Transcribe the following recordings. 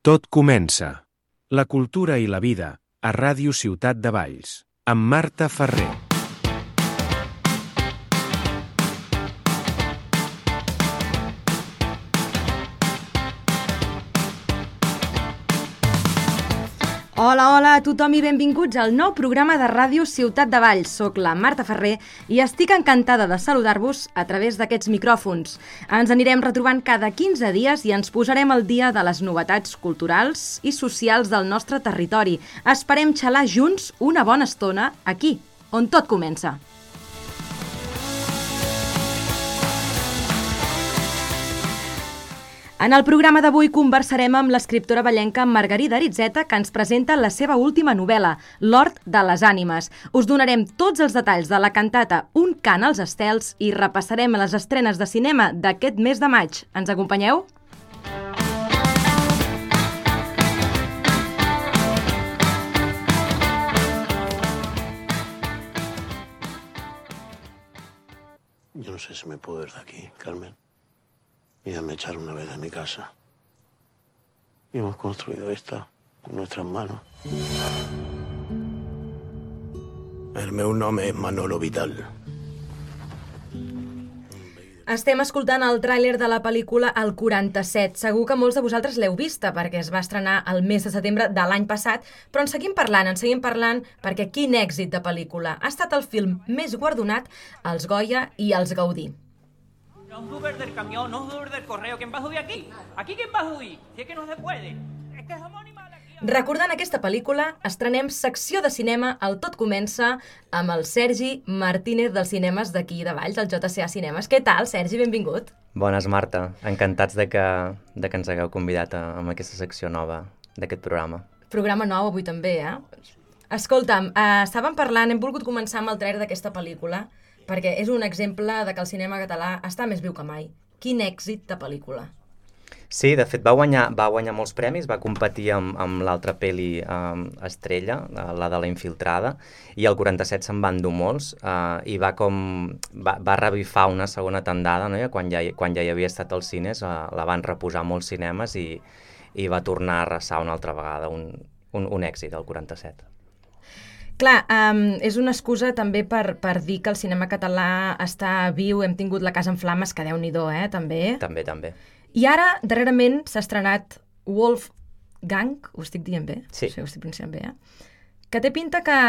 Tot comença. La cultura i la vida, a Ràdio Ciutat de Valls, amb Marta Ferrer. Hola a tothom i benvinguts al nou programa de Ràdio Ciutat de Valls. Soc la Marta Ferrer i estic encantada de saludar-vos a través d'aquests micròfons. Ens anirem retrobant cada 15 dies i ens posarem al dia de les novetats culturals i socials del nostre territori. Esperem xalar junts una bona estona aquí, on tot comença. En el programa d'avui conversarem amb l'escriptora vallenca Margarida Aritzeta, que ens presenta la seva última novel·la, L'Hort de les Ànimes. Us donarem tots els detalls de la cantata Un cant als estels i repassarem les estrenes de cinema d'aquest mes de maig. Ens acompanyeu? Yo no sé si me puedo ir de aquí, Carmen. Y ya me echaron una vez de mi casa. Y hemos construido esta con nuestras manos. El meu nom és Manolo Vidal. Estem escoltant el tràiler de la pel·lícula El 47. Segur que molts de vosaltres l'heu vista perquè es va estrenar el mes de setembre de l'any passat, però en seguim parlant perquè quin èxit de pel·lícula. Ha estat el film més guardonat als Goya i als Gaudí. No os subes del camión, no os subes del correo. ¿Quién va a subir aquí? ¿Aquí quién va a subir? Si es que no se puede. Es que es homónima de aquí. Recordant aquesta pel·lícula, estrenem secció de cinema al Tot Comença amb el Sergi Martínez dels cinemes d'aquí de Valls, del JCA Cinemes. Què tal, Sergi? Benvingut. Bones, Marta. Encantats de que ens hagueu convidat amb aquesta secció nova d'aquest programa. Programa nou avui també, Escolta'm, estàvem parlant, hem volgut començar amb el trailer d'aquesta pel·lícula, perquè és un exemple de que el cinema català està més viu que mai. Quin èxit de pel·lícula. Sí, de fet va guanyar molts premis, va competir amb l'altra pel·li estrella, la de La Infiltrada, i el 47 se'n va endur molts, i va revifar una segona tandada, no? Quan ja hi havia estat als cines, la van reposar molts cinemes i va tornar a arrasar una altra vegada, un èxit, el 47. Clar, és una excusa també per dir que el cinema català està viu, hem tingut La Casa en Flames, que Déu-n'hi-do, també. També. I ara, darrerament, s'ha estrenat Wolfgang, ho estic dient bé? Sí. Ho estic pronunciant bé, que té pinta que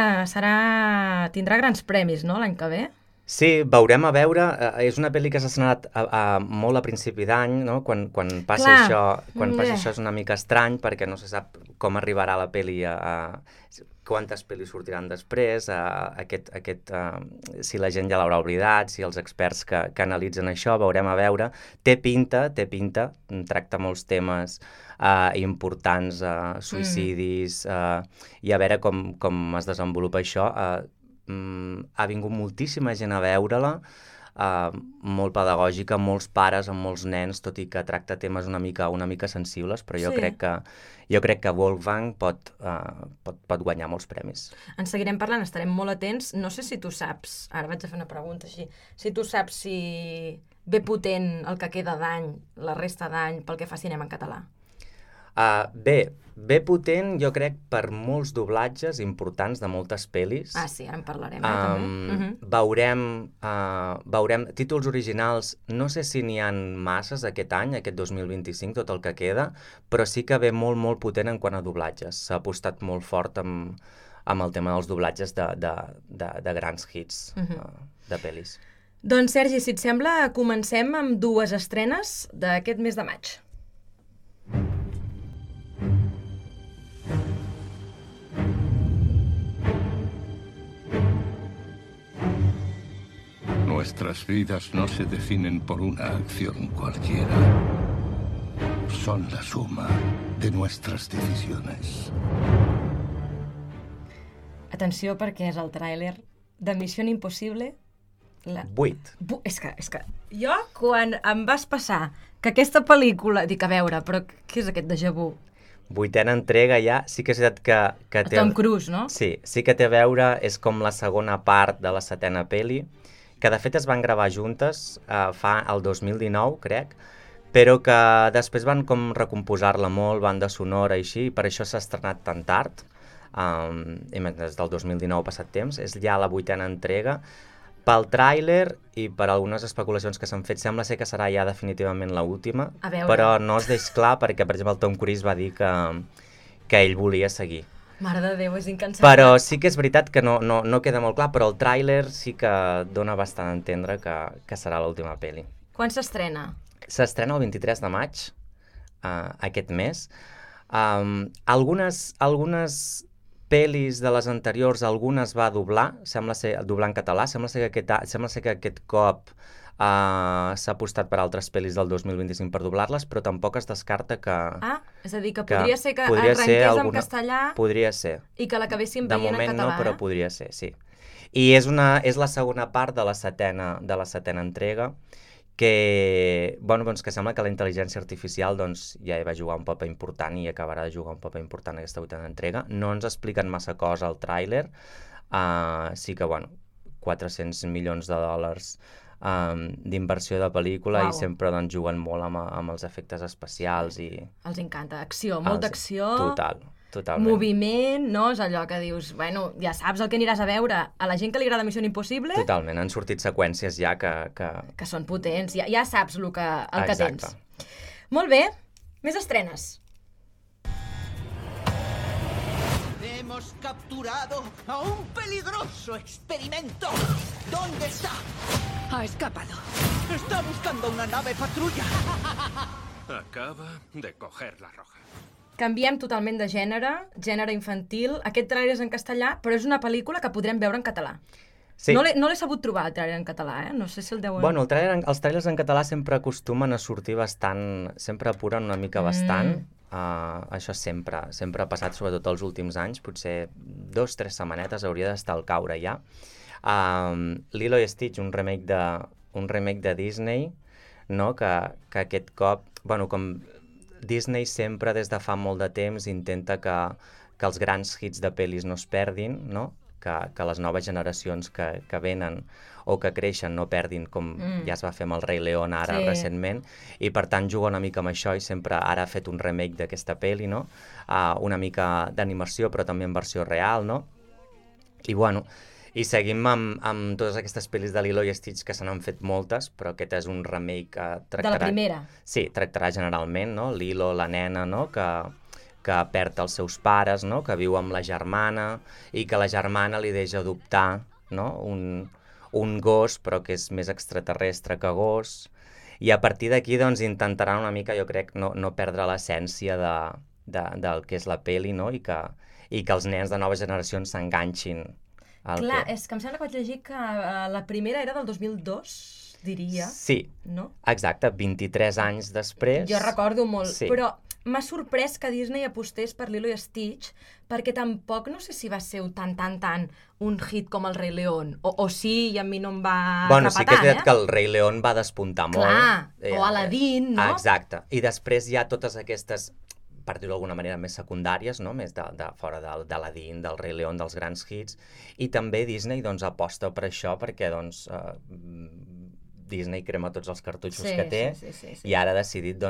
tindrà grans premis, no?, l'any que ve. Sí, veurem a veure. És una pel·li que s'ha estrenat molt a principi d'any, no? Quan passa això és una mica estrany, perquè no se sap com arribarà la pel·li quantes pel·lis sortiran després, si la gent ja l'haurà oblidat, si els experts que analitzen això, veurem a veure. Té pinta, tracta molts temes importants, suïcidis, i a veure com es desenvolupa això. Ha vingut moltíssima gent a veure-la, molt pedagògica, molts pares amb molts nens, tot i que tracta temes una mica sensibles, però jo crec que Wolfgang pot guanyar molts premis. En seguirem parlant, estarem molt atents. No sé si tu saps, ara vaig a fer una pregunta així, si tu saps si ve potent el que queda d'any, la resta d'any, pel que fa cinema en català. Bé potent, jo crec, per molts doblatges importants de moltes pel·lis. Sí, ara en parlarem, també. Veurem títols originals, no sé si n'hi ha masses aquest any, aquest 2025, tot el que queda, però sí que ve molt potent en quant a doblatges. S'ha apostat molt fort amb el tema dels doblatges de grans hits de pel·lis. Doncs, Sergi, si et sembla, comencem amb dues estrenes d'aquest mes de maig. Nuestras vidas no se definen por una acción cualquiera. Son la suma de nuestras decisiones. Atenció, perquè és el tràiler de Missió Impossible. 8. És que jo, quan em vas passar que aquesta pel·lícula... Dic, a veure, però què és aquest déjà vu? 8a entrega ja, sí que és veritat que té... Tom Cruise, no? Sí que té a veure, és com la segona part de la 7a pel·li, que de fet es van gravar juntes fa el 2019, crec, però que després van com recomposar-la molt, banda sonora i així, i per això s'ha estrenat tan tard, i des del 2019 ha passat temps, és ja la 8ª entrega. Pel tràiler i per algunes especulacions que s'han fet, sembla ser que serà ja definitivament l'última, però no es deix clar perquè, per exemple, el Tom Cruise va dir que ell volia seguir. Mare de Déu, és incansable. Però sí que és veritat que no queda molt clar, però el tràiler sí que dona bastant a entendre que serà l'última pel·li. Quan s'estrena? S'estrena el 23 de maig, aquest mes. Algunes pel·lis de les anteriors, algunes va doblar, sembla ser doblar en català, sembla ser que aquest cop s'ha apostat per altres pel·lis del 2025 per doblar-les, però tampoc es descarta que... És a dir, que podria ser que arrenqués en castellà podria ser. I que l'acabéssim veient en català. De moment no, però podria ser, sí. I és la segona part de la setena entrega, que sembla que la intel·ligència artificial ja hi va jugar un paper important i acabarà de jugar un paper important en aquesta 8ª entrega. No ens expliquen massa cosa al tràiler, sí que, 400 milions de dòlars d'inversió de pel·lícula. I sempre juguen molt amb els efectes especials i... Els encanta, acció, molta acció. Totalment. Moviment, no? És allò que dius, ja saps el que aniràs a veure. A la gent que li agrada Missió Impossible... Totalment, han sortit seqüències ja que són potents, ja saps el que tens. Molt bé, més estrenes. Hemos capturado a un peligroso experimento. ¿Dónde está? Ha escapado. Está buscando una nave patrulla. Acaba de coger la roja. Canviem totalment de gènere infantil. Aquest tràiler és en castellà, però és una pel·lícula que podrem veure en català. Sí. No l'he sabut trobar, el tràiler en català, No sé si el deuen... Els tràilers en català sempre acostumen a sortir bastant... Sempre apuren una mica bastant. Això sempre ha passat, sobretot els últims anys. Potser 2-3 setmanetes hauria d'estar al caure ja. Lilo i Stitch, un remake de Disney, no? Que aquest cop... com Disney sempre des de fa molt de temps intenta que els grans hits de pel·lis no es perdin, no? Que les noves generacions que venen o que creixen no perdin, com ja es va fer amb el Rei León ara recentment, i per tant juga una mica amb això i sempre ara ha fet un remake d'aquesta pel·li, no? Una mica d'animació però també en versió real, no? I seguim amb totes aquestes pel·lis de Lilo i Stitch, que se n'han fet moltes, però aquest és un remake que tractarà... De la primera? Sí, tractarà generalment, no? Lilo, la nena, no? Que perd els seus pares, no? Que viu amb la germana, i que la germana li deixa adoptar, no? Un gos, però que és més extraterrestre que gos. I a partir d'aquí, intentaran una mica, jo crec, no perdre l'essència del que és la pel·li, no? I que els nens de noves generacions s'enganxin. Clar, és que em sembla que vaig llegir que la primera era del 2002, diria. Sí, no? Exacte, 23 anys després. Jo recordo molt, però m'ha sorprès que Disney apostés per Lilo i Stitch, perquè tampoc no sé si va ser tan un hit com el Rei León, o sí, i a mi no em va atrapar sí que és veritat que el Rei León va despuntar molt. Clar, o Aladdin, no? Exacte, i després hi ha totes aquestes, per dir-ho d'alguna manera, més secundàries, no? Més de fora d'Aladdin, del Rei León, dels grans hits, i també Disney aposta per això, perquè Disney crema tots els cartutxos que té, i ara ha decidit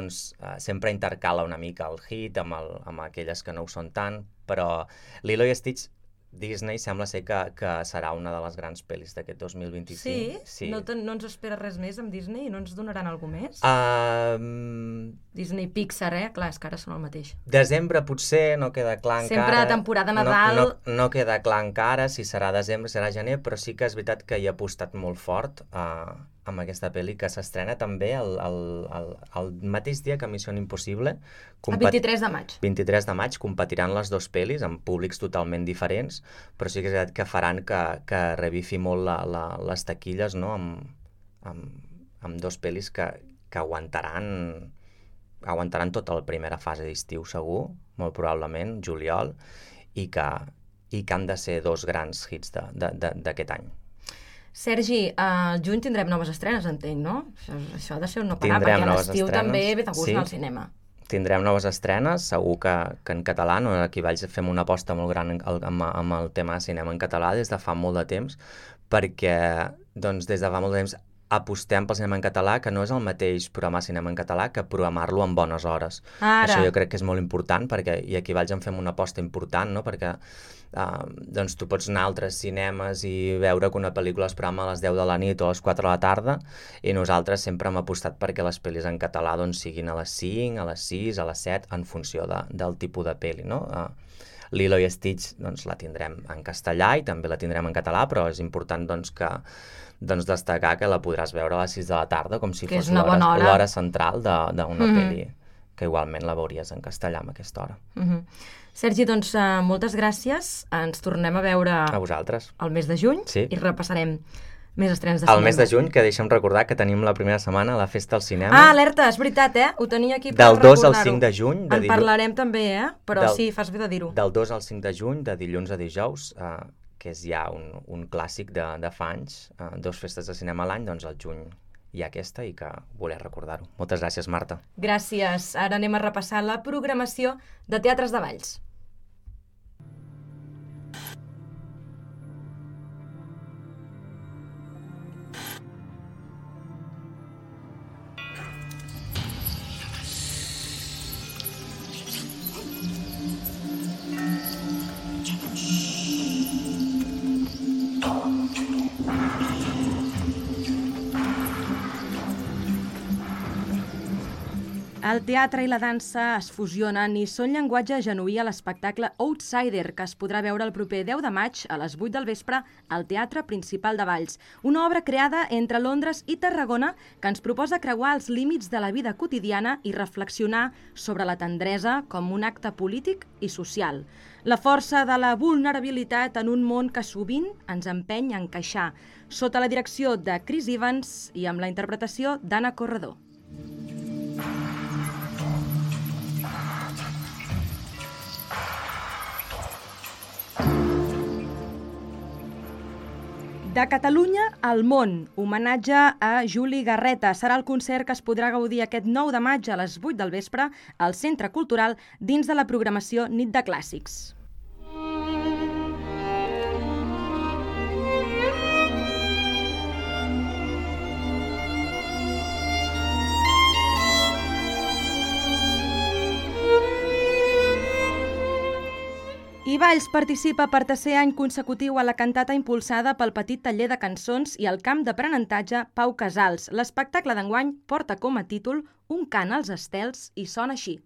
sempre intercala una mica el hit amb aquelles que no ho són tant, però Lilo i Stitch, Disney sembla ser que serà una de les grans pel·lis d'aquest 2025. Sí? No ens espera res més amb Disney? No ens donaran alguna més? Disney Pixar, clar, és que ara són el mateix. Desembre potser, no queda clar encara. Sempre temporada Nadal. No queda clar encara si serà desembre, serà gener, però sí que és veritat que hi ha apostat molt fort amb aquesta pel·li, que s'estrena també el mateix dia que Missió Impossible. El 23 de maig. 23 de maig, competiran les dues pel·lis amb públics totalment diferents, però sí que és veritat que faran que revifi molt les taquilles, no? Amb dos pel·lis que aguantaran tota la primera fase d'estiu segur, molt probablement, juliol, i que han de ser dos grans hits d'aquest any. Sergi, al juny tindrem noves estrenes, entenc, no? Això ha de ser un no parar, perquè a l'estiu també ve de gust anar al cinema. Tindrem noves estrenes, segur que en català, no? Aquí a Valls fem una aposta molt gran amb el tema de cinema en català des de fa molt de temps, perquè des de fa molt de temps apostem pel cinema en català, que no és el mateix programar cinema en català que programar-lo en bones hores. Ara. Això jo crec que és molt important, perquè, i aquí a Valls en fem una aposta important, no? Perquè doncs tu pots anar a altres cinemes i veure que una pel·lícula es programa a les 10 de la nit o a les 4 de la tarda, i nosaltres sempre hem apostat perquè les pel·lis en català doncs, siguin a les 5, a les 6, a les 7, en funció del tipus de pel·li, no? Lilo i Stitch doncs, la tindrem en castellà i també la tindrem en català, però és important doncs, destacar que la podràs veure a les 6 de la tarda, com si fos l'hora central d'una pel·li, que igualment la veuries en castellà a aquesta hora. Sergi, doncs moltes gràcies. Ens tornem a veure a vosaltres el mes de juny i repassarem més estrenes de cinema. El mes de juny, que deixa'm recordar que tenim la primera setmana la Festa al Cinema. Ah, alerta, és veritat, Ho tenia aquí per recordar-ho. Del 2 al 5 de juny. En parlarem també, Però sí, fas bé de dir-ho. Del 2 al 5 de juny, de dilluns a dijous, que és ja un clàssic de fa anys, 2 festes de cinema a l'any, doncs al juny hi ha aquesta i que voler recordar-ho. Moltes gràcies, Marta. Gràcies. Ara anem a repassar la programació de Teatres de Valls. El teatre i la dansa es fusionen i són llenguatge genuí a l'espectacle Outsider, que es podrà veure el proper 10 de maig a les 8 del vespre al Teatre Principal de Valls. Una obra creada entre Londres i Tarragona que ens proposa creuar els límits de la vida quotidiana i reflexionar sobre la tendresa com un acte polític i social. La força de la vulnerabilitat en un món que sovint ens empeny a encaixar, sota la direcció de Chris Evans i amb la interpretació d'Anna Corredor. De Catalunya al món, homenatge a Juli Garreta. Serà el concert que es podrà gaudir aquest 9 de maig a les 8 del vespre al Centre Cultural dins de la programació Nit de Clàssics. I Valls participa per tercer any consecutiu a la cantata impulsada pel Petit Taller de Cançons i el camp d'aprenentatge Pau Casals. L'espectacle d'enguany porta com a títol Un cant als estels i sona així.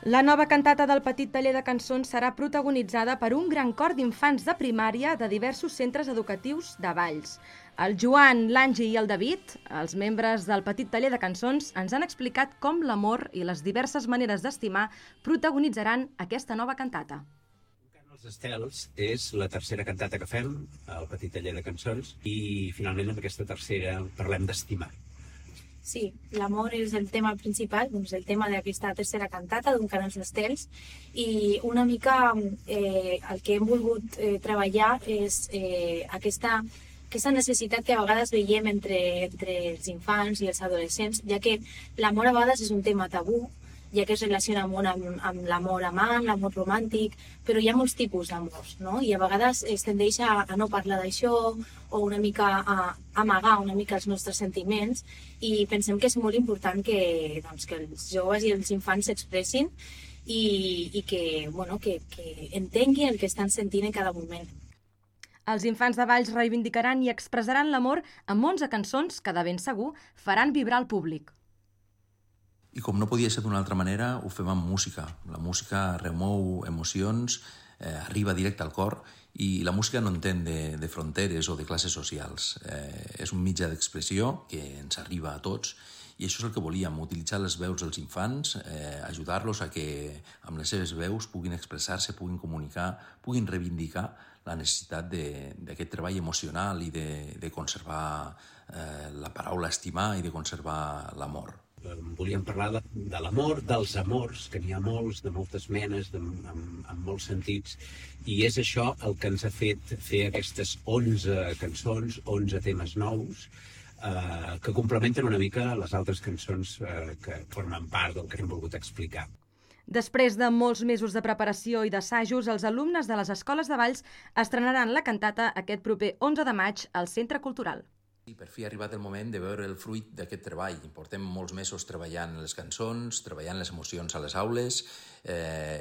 La nova cantata del Petit Taller de Cançons serà protagonitzada per un gran cor d'infants de primària de diversos centres educatius de Valls. El Joan, l'Angi i el David, els membres del Petit Taller de Cançons, ens han explicat com l'amor i les diverses maneres d'estimar protagonitzaran aquesta nova cantata. Un cant als estels és la tercera cantata que fem al Petit Taller de Cançons i finalment amb aquesta tercera parlem d'estimar. Sí, l'amor és el tema principal, doncs el tema d'aquesta tercera cantata d'un cant als estels, i una mica el que hem volgut treballar és aquesta necessitat que a vegades veiem entre els infants i els adolescents, ja que l'amor a vegades és un tema tabú, ja que es relaciona molt amb l'amor amant, l'amor romàntic, però hi ha molts tipus d'amors, no? I a vegades es tendeix a no parlar d'això o una mica a amagar una mica els nostres sentiments, i pensem que és molt important que els joves i els infants s'expressin i que entenguin el que estan sentint en cada moment. Els infants de Valls reivindicaran i expressaran l'amor amb 11 cançons que de ben segur faran vibrar el públic. I com no podia ser d'una altra manera, ho fem amb música. La música remou emocions, arriba directe al cor, i la música no entén de fronteres o de classes socials. És un mitjà d'expressió que ens arriba a tots, i això és el que volíem, utilitzar les veus dels infants, ajudar-los a que amb les seves veus puguin expressar-se, puguin comunicar, puguin reivindicar la necessitat d'aquest treball emocional i de conservar la paraula estimar i de conservar l'amor. Volíem parlar de l'amor, dels amors, que n'hi ha molts, de moltes menes, en molts sentits, i és això el que ens ha fet fer aquestes 11 cançons, 11 temes nous, que complementen una mica les altres cançons que formen part del que hem volgut explicar. Després de molts mesos de preparació i d'assajos, els alumnes de les escoles de Valls estrenaran la cantata aquest proper 11 de maig al Centre Cultural. I per fi ha arribat el moment de veure el fruit d'aquest treball. Portem molts mesos treballant les cançons, treballant les emocions a les aules,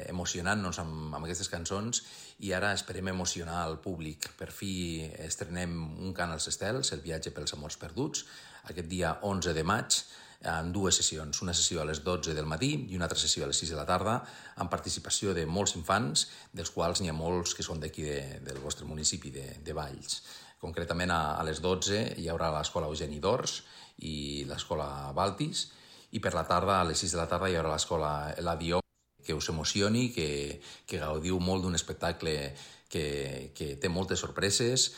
emocionant-nos amb aquestes cançons i ara esperem emocionar el públic. Per fi estrenem un cant als estels, El viatge pels amors perduts, aquest dia 11 de maig, en dues sessions, una sessió a les 12 del matí i una altra sessió a les 6 de la tarda, amb participació de molts infants, dels quals n'hi ha molts que són d'aquí del vostre municipi de Valls. Concretament a les 12 hi haurà l'escola Eugeni d'Ors i l'escola Baltis, i per la tarda, a les 6 de la tarda, hi haurà l'escola Eladio, que us emocioni, que gaudiu molt d'un espectacle que té moltes sorpreses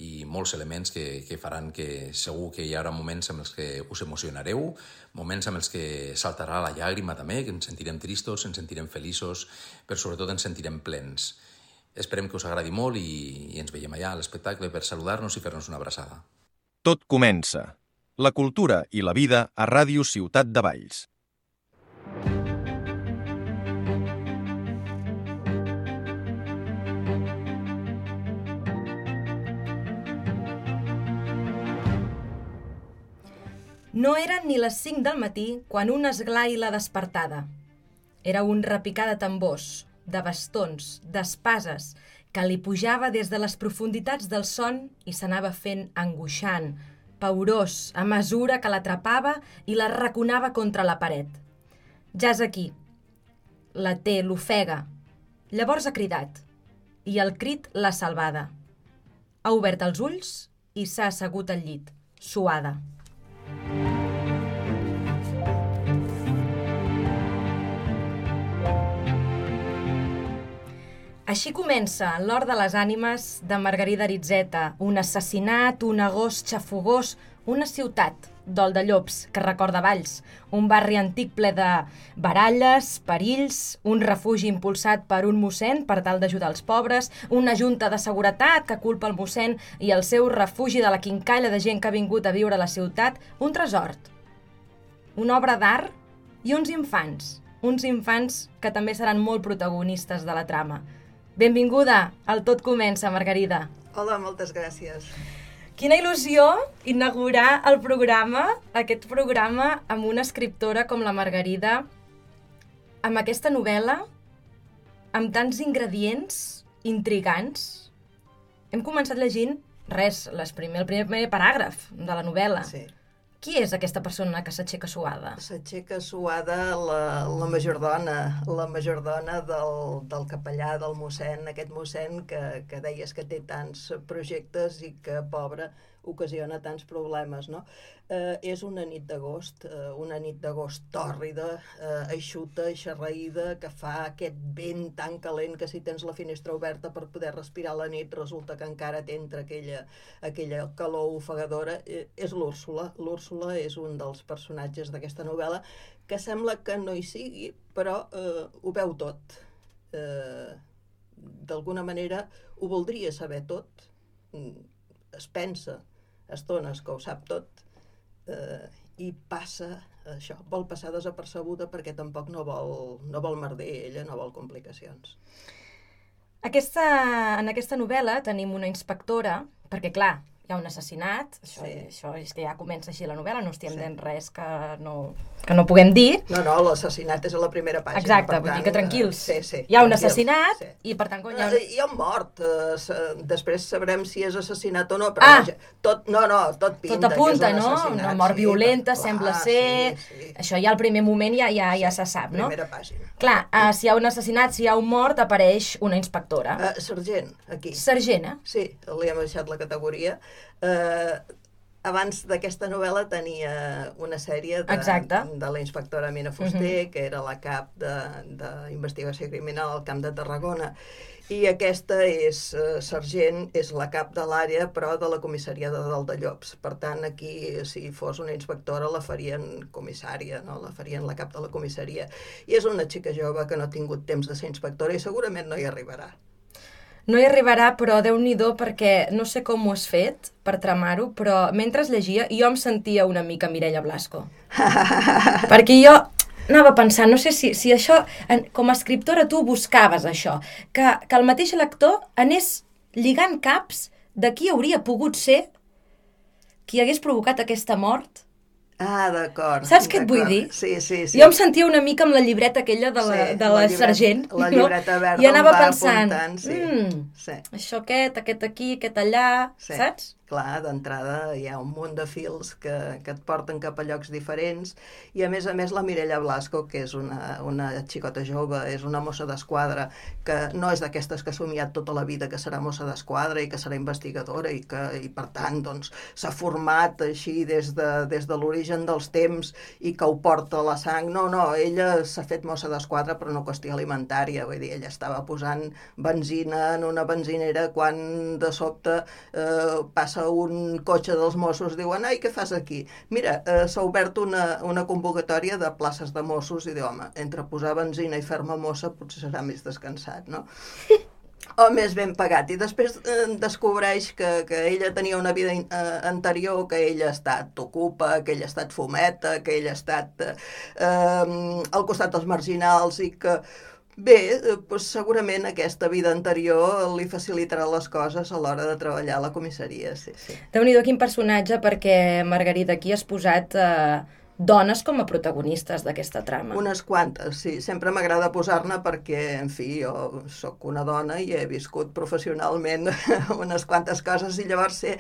i molts elements que faran que segur que hi haurà moments amb els que us emocionareu, moments amb els que saltarà la llàgrima també, que ens sentirem tristos, ens sentirem feliços, però sobretot ens sentirem plens. Esperem que us agradi molt i ens veiem allà a l'espectacle per saludar-nos i fer-nos una abraçada. Tot comença. La cultura i la vida a Ràdio Ciutat de Valls. No eren ni les 5 del matí quan un esglai la despertada. Era un repicar de tambors, de bastons, d'espases, que li pujava des de les profunditats del son i s'anava fent angoixant, paorós, a mesura que l'atrapava i la raconava contra la paret. Ja és aquí. La té, l'ofega. Llavors ha cridat. I el crit l'ha salvada. Ha obert els ulls i s'ha assegut al llit, suada. Així comença L'Hort de les ànimes de Margarida Aritzeta, un assassinat, un agost xafogós, una ciutat, Dol de Llops, que recorda Valls, un barri antic ple de baralles, perills, un refugi impulsat per un mossèn per tal d'ajudar els pobres, una junta de seguretat que culpa el mossèn i el seu refugi de la quincalla de gent que ha vingut a viure a la ciutat, un tresor, una obra d'art i uns infants que també seran molt protagonistes de la trama. Benvinguda al Tot Comença, Margarida. Hola, moltes gràcies. Quina il·lusió inaugurar el programa, aquest programa, amb una escriptora com la Margarida, amb aquesta novel·la, amb tants ingredients intrigants. Hem començat llegint, el primer paràgraf de la novel·la. Sí. Qui és aquesta persona que s'aixeca suada? S'aixeca suada la majordona del capellà, del mossèn, aquest mossèn que deies que té tants projectes i que, pobre, ocasiona tants problemes, no? És una nit d'agost tòrrida, eixuta, eixarraïda, que fa aquest vent tan calent que si tens la finestra oberta per poder respirar la nit resulta que encara t'entra aquella calor ofegadora. És l'Úrsula. L'Úrsula és un dels personatges d'aquesta novel·la que sembla que no hi sigui, però ho veu tot. D'alguna manera ho voldria saber tot. Es pensa estones que ho sap tot i passa això, vol passar desapercebuda perquè tampoc no vol merder ella, no vol complicacions. En aquesta novel·la tenim una inspectora, perquè clar, hi ha un assassinat, això és que ja comença així la novel·la, no estem dient res que no puguem dir. No, l'assassinat és a la primera pàgina. Exacte, vull dir que tranquils. Hi ha un assassinat i per tant... Hi ha un mort, després sabrem si és assassinat o no, però tot pinta que és un assassinat. Tot apunta, no? Una mort violenta, sembla ser... Això ja al primer moment ja se sap, no? Primera pàgina. Clar, si hi ha un assassinat, si hi ha un mort, apareix una inspectora. Sergent, aquí. Sergent, eh? Sí, li hem baixat la categoria. Abans d'aquesta novel·la tenia una sèrie de la inspectora Mina Fuster, que era la cap d'investigació criminal al Camp de Tarragona, i aquesta és sergent, és la cap de l'àrea, però de la comissaria de Dol de Llops. Per tant, aquí, si fos una inspectora, la farien comissària, no? La farien la cap de la comissaria. I és una xica jove que no ha tingut temps de ser inspectora i segurament no hi arribarà. No hi arribarà, però Déu-n'hi-do, perquè no sé com ho has fet per tramar-ho, però mentre llegia jo em sentia una mica Mireia Blasco. Perquè jo anava pensant, no sé si això, com a escriptora tu buscaves això, que el mateix lector anés lligant caps de qui hauria pogut ser qui hagués provocat aquesta mort. Ah, d'acord. Saps què et vull dir? Sí. Jo em sentia una mica amb la llibreta aquella de la sergent. La llibreta verda i anava pensant, apuntant, això aquest aquí, aquest allà, saps? Clar, d'entrada hi ha un munt de fils que et porten cap a llocs diferents i a més la Mireia Blasco, que és una xicota jove, és una mossa d'esquadra que no és d'aquestes que ha somiat tota la vida que serà mossa d'esquadra i que serà investigadora i per tant doncs, s'ha format així des de l'origen dels temps i que ho porta a la sang. No, ella s'ha fet mossa d'esquadra per una qüestió alimentària, vull dir, ella estava posant benzina en una benzinera quan de sobte passa un cotxe dels Mossos, diuen, ai, què fas aquí? Mira, s'ha obert una convocatòria de places de Mossos i diu, home, entre posar benzina i fer-me mossa potser serà més descansat, no? O més ben pagat. I després descobreix que ella tenia una vida anterior, que ella ha estat ocupa, que ella ha estat fumeta, que ella ha estat al costat dels marginals i que bé, doncs segurament aquesta vida anterior li facilitarà les coses a l'hora de treballar a la comissaria, sí. Déu-n'hi-do quin personatge, perquè, Margarida, aquí has posat dones com a protagonistes d'aquesta trama. Unes quantes, sí. Sempre m'agrada posar-ne perquè, en fi, jo sóc una dona i he viscut professionalment unes quantes coses i llavors sé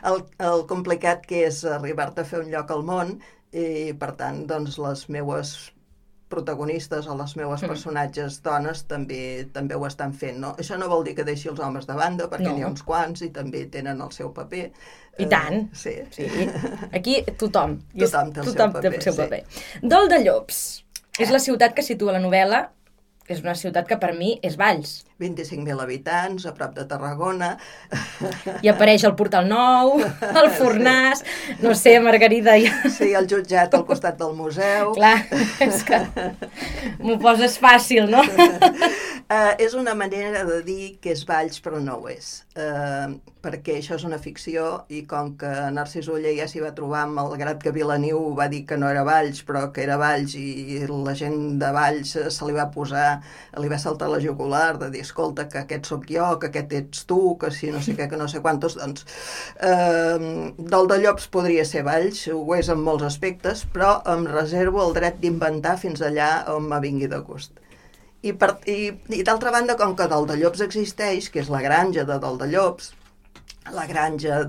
el complicat que és arribar-te a fer un lloc al món i, per tant, doncs, les meues protagonistes o les meues personatges dones també ho estan fent, no? Això no vol dir que deixi els homes de banda, perquè n'hi ha uns quants i també tenen el seu paper. I tant. Sí. Aquí tothom. Tothom té el seu paper. Dol de Llops és la ciutat que situa la novel·la, és una ciutat que per mi és Valls. 25.000 habitants, a prop de Tarragona. I apareix el Portal Nou, el Fornàs, no sé, Margarida... Sí, el jutjat al costat del museu. Clar, és que m'ho poses fàcil, no? És una manera de dir que és Valls, però no ho és. Perquè això és una ficció i com que Narcís Oller ja s'hi va trobar amb el grat que Vilaniu va dir que no era Valls, però que era Valls i la gent de Valls se li va posar, li va saltar la jugular de dir escolta, que aquest sóc jo, que aquest ets tu, que si no sé què, que no sé quantos, doncs Dol de Llops podria ser Valls, ho és en molts aspectes, però em reservo el dret d'inventar fins allà on me vingui de gust. I d'altra banda, com que Dol de Llops existeix, que és la granja de Dol de Llops, la granja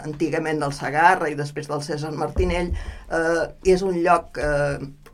antigament del Segarra i després del Cèsar Martinell, és un lloc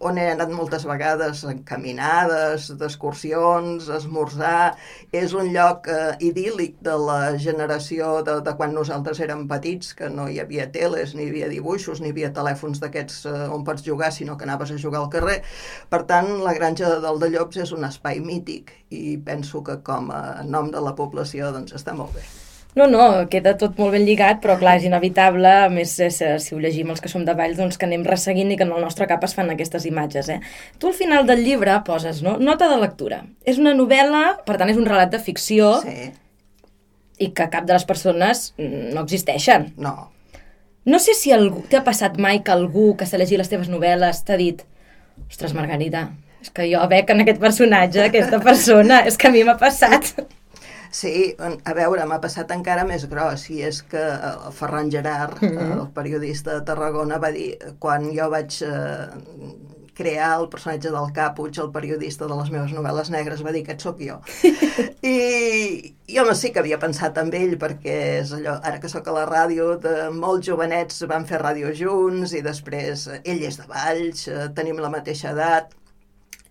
on he anat moltes vegades en caminades, d'excursions, a esmorzar. És un lloc idíl·lic de la generació de quan nosaltres érem petits, que no hi havia teles, ni hi havia dibuixos, ni hi havia telèfons d'aquests on pots jugar, sinó que anaves a jugar al carrer. Per tant, la granja de Dol de Llops és un espai mític i penso que com a nom de la població doncs està molt bé. No, queda tot molt ben lligat, però clar, és inevitable, a més, si ho llegim els que som de Valls, doncs que anem resseguint i que en el nostre cap es fan aquestes imatges, Tu al final del llibre poses, no? Nota de lectura. És una novel·la, per tant és un relat de ficció, i que cap de les persones no existeixen. No. No sé si t'ha passat mai que algú que s'ha llegit les teves novel·les t'ha dit ostres, Margarida, és que jo veig en aquest personatge, aquesta persona, és que a mi m'ha passat... Sí, a veure, m'ha passat encara més gros, i és que el Ferran Gerard, el periodista de Tarragona, va dir, quan jo vaig crear el personatge del Capuig, el periodista de les meves novel·les negres, va dir, aquest sóc jo. I home, sí que havia pensat en ell, perquè és allò, ara que sóc a la ràdio, de molts jovenets van fer ràdio junts, i després ell és de Valls, tenim la mateixa edat,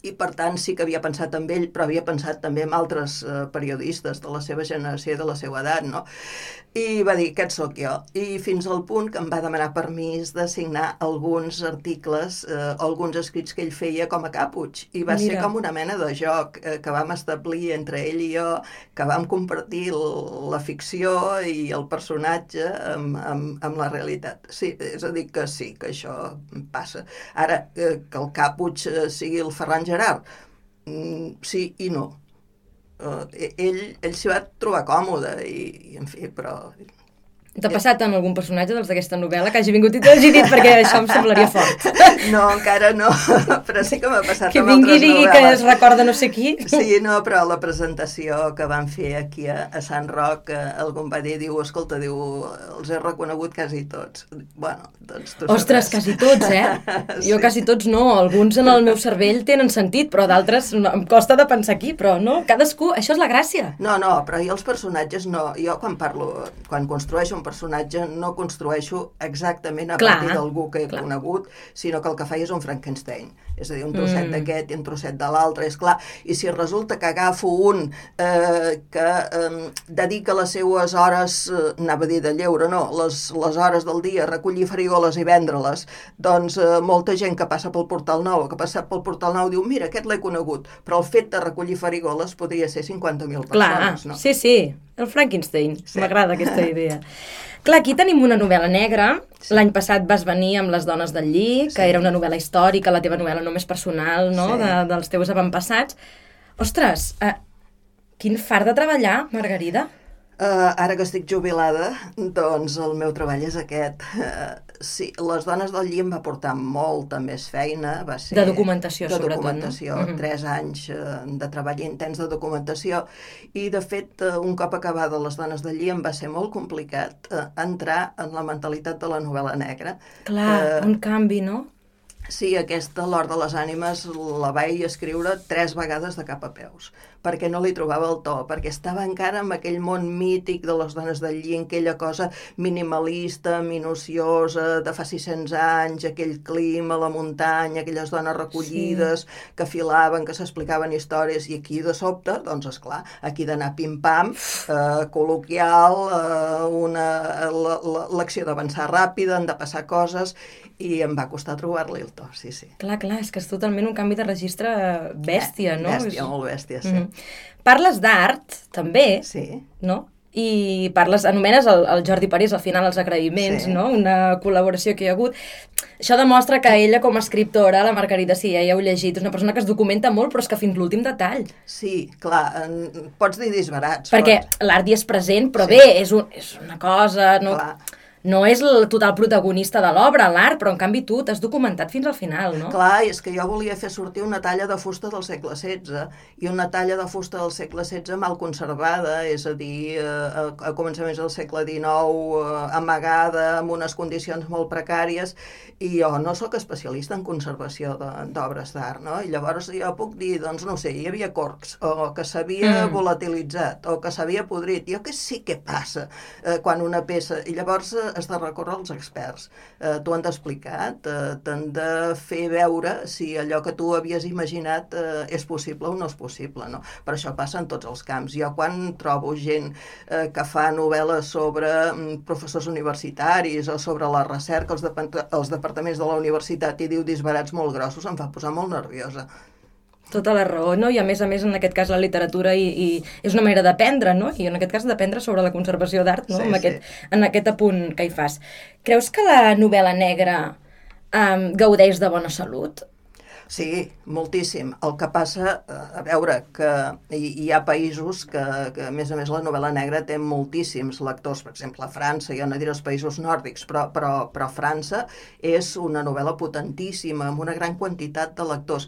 i per tant sí que havia pensat en ell, però havia pensat també en altres periodistes de la seva generació i de la seva edat, no? I va dir, aquest sóc jo. I fins al punt que em va demanar permís de signar alguns articles o alguns escrits que ell feia com a Capuig. I va ser com una mena de joc que vam establir entre ell i jo, que vam compartir la ficció i el personatge amb la realitat. Sí, és a dir que sí, que això passa. Ara, que el Capuig sigui el Ferran Gerard, sí i no. ell s'hi va trobar còmode i en fi, però... T'ha passat amb algun personatge d'aquesta novel·la que hagi vingut i t'hagi dit, perquè això em semblaria fort? No, encara no, però sí que m'ha passat amb altres novel·les. Que vingui i digui que es recorda no sé qui. Sí, no, però la presentació que van fer aquí a Sant Roc, algú em va dir, escolta, els he reconegut quasi tots. Bueno, doncs tu Ostres, quasi tots, Sí. Jo quasi tots no, alguns en el meu cervell tenen sentit, però d'altres em costa de pensar aquí, però no, cadascú, això és la gràcia. No, però jo els personatges no, jo quan construeixo un personatge no construeixo exactament a partir d'algú que he conegut, sinó que el que faig és un Frankenstein. És a dir, un trosset d'aquest i un trosset de l'altre, és clar. I si resulta que agafo un que dedica les seues hores, anava a dir de lleure, no, les hores del dia a recollir farigoles i vendre-les, doncs molta gent que passa pel Portal Nou, que ha passat pel Portal Nou, diu, mira, aquest l'he conegut, però el fet de recollir farigoles podria ser 50.000 persones, no? Sí, el Frankenstein, m'agrada aquesta idea. Clar, aquí tenim una novel·la negra. L'any passat vas venir amb Les dones del lli, que era una novel·la històrica, la teva novel·la només personal, no?, dels teus avantpassats. Ostres, quin fart de treballar, Margarida. Ara que estic jubilada, doncs el meu treball és aquest. Sí, Les dones del lli em va portar molta més feina. Va ser de documentació, sobretot. De documentació, 3 anys de treball intens de documentació. I, de fet, un cop acabada Les dones del lli em va ser molt complicat entrar en la mentalitat de la novel·la negra. Clar, un canvi, no? Sí, aquesta, L'Hort de les ànimes, la vaig escriure 3 vegades de cap a peus, perquè no li trobava el to, perquè estava encara en aquell món mític de les dones del lli, aquella cosa minimalista, minuciosa, de fa 600 anys, aquell clima, la muntanya, aquelles dones recollides, que filaven, que s'explicaven històries, i aquí de sobte, doncs esclar, aquí d'anar pim-pam, col·loquial, l'acció d'avançar ràpida, han de passar coses, i em va costar trobar-li el to, sí. Clar, és que és totalment un canvi de registre bèstia, no? Bèstia, molt bèstia, sí. Parles d'art, també, no? I anomenes el Jordi Parés, al final, els agraïments, no? Una col·laboració que hi ha hagut. Això demostra que ella, com a escriptora, la Margarida, sí, ja heu llegit, és una persona que es documenta molt, però és que fins l'últim detall. Sí, clar, pots dir disbarats. Perquè l'art hi és present, però bé, és una cosa... No és el total protagonista de l'obra, l'art, però en canvi tu t'has documentat fins al final, no? Clar, és que jo volia fer sortir una talla de fusta del segle XVI, i una talla de fusta del segle XVI mal conservada, és a dir, a començaments del segle XIX, amagada, amb unes condicions molt precàries, i jo no sóc especialista en conservació d'obres d'art, no? I llavors jo puc dir, doncs no sé, hi havia corcs, o que s'havia volatilitzat, o que s'havia podrit, jo què sé què passa quan una peça... I llavors has de recórrer als experts. T'ho han d'explicar, t'han de fer veure si allò que tu havies imaginat és possible o no és possible, no? Per això passa en tots els camps. Jo quan trobo gent que fa novel·les sobre professors universitaris o sobre la recerca, els departaments de la universitat, i diu disbarats molt grossos, em fa posar molt nerviosa. Tota la raó, no? I a més, en aquest cas, la literatura i és una manera d'aprendre, no? I en aquest cas d'aprendre sobre la conservació d'art, no? En aquest apunt que hi fas. Creus que la novel·la negra gaudeix de bona salut? Sí, moltíssim. El que passa, a veure, que hi ha països que, a més, la novel·la negra té moltíssims lectors. Per exemple, a França, jo no diré els països nòrdics, però França és una novel·la potentíssima, amb una gran quantitat de lectors.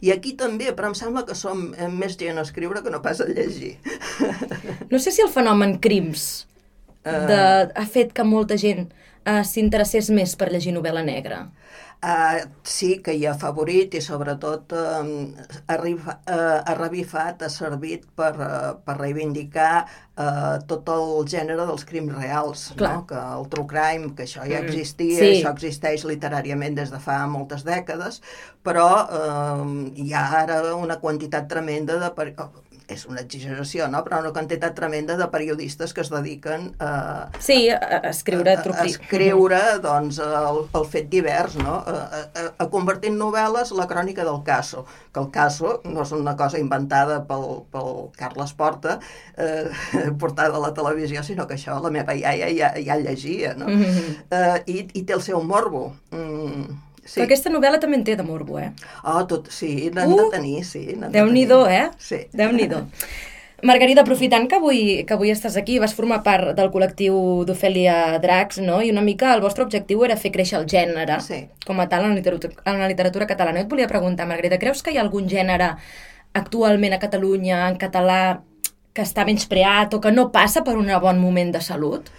I aquí també, però em sembla que som més gent a escriure que no pas a llegir. No sé si el fenomen Crims ha fet que molta gent s'interessés més per llegir novel·la negra. Sí, que hi ha afavorit i sobretot ha revifat, ha servit per reivindicar tot el gènere dels crims reals, no? Que el true crime, que això ja existia, això existeix literàriament des de fa moltes dècades, però hi ha ara una quantitat tremenda de... És una exageració, no? Però una quantitat tremenda de periodistes que es dediquen a escriure doncs, el fet divers, no? A convertir en novel·les la crònica del Caso, que el Caso no és una cosa inventada pel Carles Porta, portada a la televisió, sinó que això la meva iaia ja llegia, no? I té el seu morbo. Sí. Però aquesta novel·la també en té de morbo, sí, n'han de tenir, sí. Déu-n'hi-do, Sí. Déu-n'hi-do. Margarida, aprofitant que avui estàs aquí, vas formar part del col·lectiu d'Ofèlia Dracs, no? I una mica el vostre objectiu era fer créixer el gènere com a tal en la literatura catalana. Jo et volia preguntar, Margarida, creus que hi ha algun gènere actualment a Catalunya, en català, que està menyspreat o que no passa per un bon moment de salut?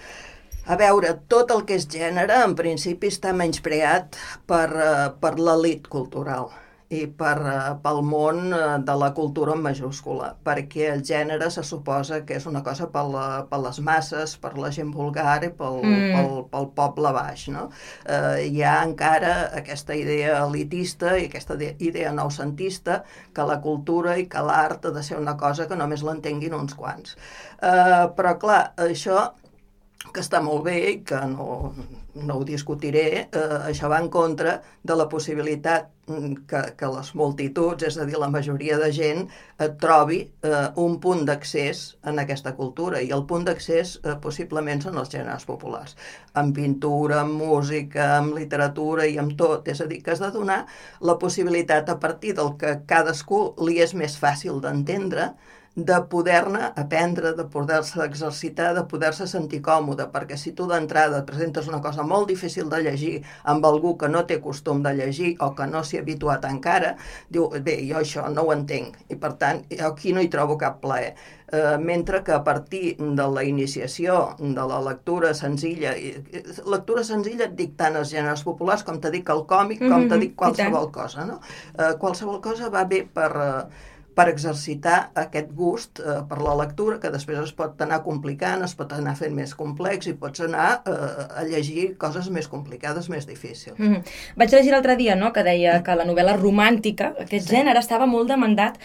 A veure, tot el que és gènere, en principi, està menyspreat per l'elit cultural i pel món de la cultura en majúscula, perquè el gènere se suposa que és una cosa per les masses, per la gent vulgar i pel poble baix, no? Hi ha encara aquesta idea elitista i aquesta idea noucentista que la cultura i que l'art ha de ser una cosa que només l'entenguin uns quants. Però, clar, això que està molt bé i que no ho discutiré, això va en contra de la possibilitat que les multituds, és a dir, la majoria de gent, trobi un punt d'accés en aquesta cultura, i el punt d'accés possiblement són els gèneres populars, amb pintura, amb música, amb literatura i amb tot, és a dir, que has de donar la possibilitat a partir del que cadascú li és més fàcil d'entendre, de poder-ne aprendre, de poder-se exercitar, de poder-se sentir còmode, perquè si tu d'entrada presentes una cosa molt difícil de llegir amb algú que no té costum de llegir o que no s'hi ha habituat encara, diu, bé, jo això no ho entenc, i per tant, aquí no hi trobo cap plaer. Mentre que a partir de la iniciació de la lectura senzilla et dic tant els gèneres populars com t'he dit el còmic, com t'he dit qualsevol cosa, no? Qualsevol cosa va bé per exercitar aquest gust per la lectura, que després es pot anar complicant, es pot anar fent més complex i pots anar a llegir coses més complicades, més difícils. Vaig llegir l'altre dia, no?, que deia que la novel·la romàntica, aquest gènere, estava molt demandat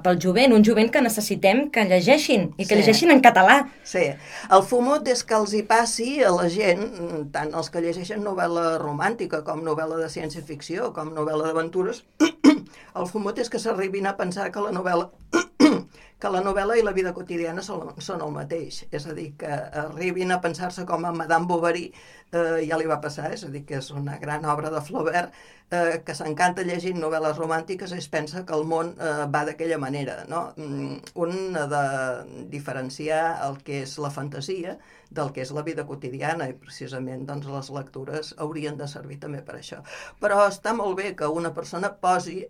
pel jovent, un jovent que necessitem que llegeixin, i que llegeixin en català. Sí, el fumut és que els hi passi a la gent, tant els que llegeixen novel·la romàntica com novel·la de ciència-ficció, com novel·la d'aventures, el fumut és que s'arribin a pensar que la novel·la i la vida quotidiana són el mateix. És a dir, que arribin a pensar-se com a Madame Bovary, ja li va passar, és a dir, que és una gran obra de Flaubert, que s'encanta llegint novel·les romàntiques i es pensa que el món va d'aquella manera, no? Un ha de diferenciar el que és la fantasia del que és la vida quotidiana, i precisament doncs, les lectures haurien de servir també per això. Però està molt bé que una persona posi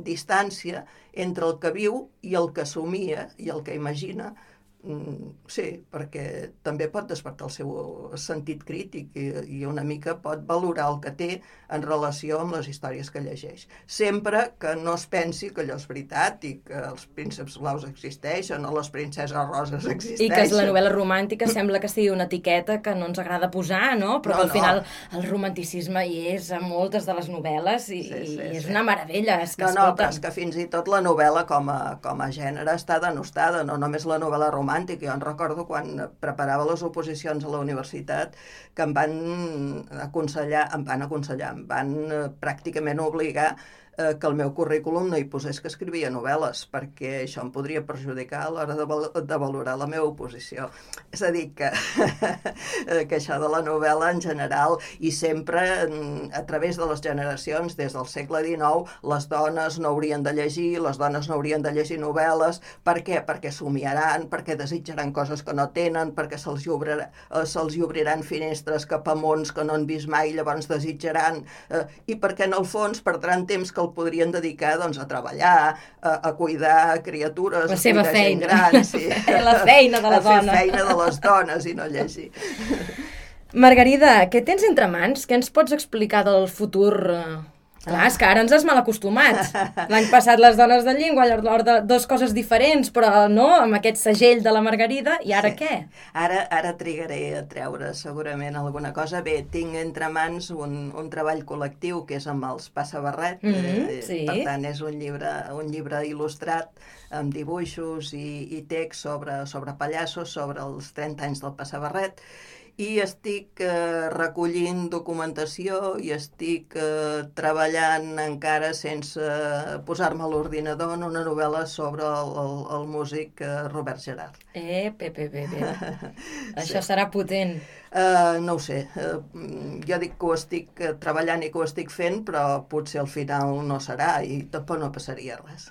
distància entre el que viu i el que somia i el que imagina. Sí, perquè també pot despertar el seu sentit crític i una mica pot valorar el que té en relació amb les històries que llegeix. Sempre que no es pensi que allò és veritat i que els prínceps blaus existeixen o les princeses roses existeixen. I que la novel·la romàntica sembla que sigui una etiqueta que no ens agrada posar, no? Però que al final el romanticisme hi és a moltes de les novel·les i és una meravella. No, però és que fins i tot la novel·la com a gènere està denostada, no només la novel·la romàntica. Jo en recordo quan preparava les oposicions a la universitat que em van pràcticament obligar que el meu currículum no hi posés que escrivia novel·les, perquè això em podria perjudicar a l'hora de valorar la meva oposició. És a dir, que això de la novel·la en general, i sempre a través de les generacions, des del segle XIX, les dones no haurien de llegir, les dones no haurien de llegir novel·les. Per què? Perquè somiaran, perquè desitjaran coses que no tenen, perquè se'ls obriran finestres cap a mons que no han vist mai, llavors desitjaran, i perquè en el fons perdran temps que el podrien dedicar a treballar, a cuidar criatures, la seva feina, gran, sí. La feina de la dona. A fer feina de les dones i no llegir. Margarida, què tens entre mans? Què ens pots explicar del futur? Clar, és que ara ens has mal acostumat. L'any passat les dones de llengua, dues coses diferents, però no, amb aquest segell de la Margarida, i ara què? Ara trigaré a treure segurament alguna cosa. Bé, tinc entre mans un treball col·lectiu que és amb els Passa Barret, per tant és un llibre il·lustrat amb dibuixos i text sobre pallassos, sobre els 30 anys del Passa Barret, i estic recollint documentació i estic treballant encara sense posar-me a l'ordinador en una novel·la sobre el músic Robert Gerard. Això serà potent. No ho sé, jo dic que ho estic treballant i que ho estic fent, però potser al final no serà i tampoc no passaria res.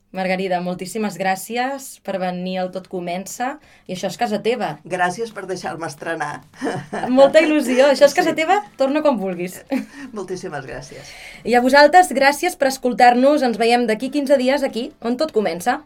Margarida, moltíssimes gràcies per venir al Tot Comença. I això és casa teva. Gràcies per deixar-me estrenar. Molta il·lusió. Això és casa teva, torna quan vulguis. Moltíssimes gràcies. I a vosaltres, gràcies per escoltar-nos. Ens veiem d'aquí 15 dies aquí, on tot comença.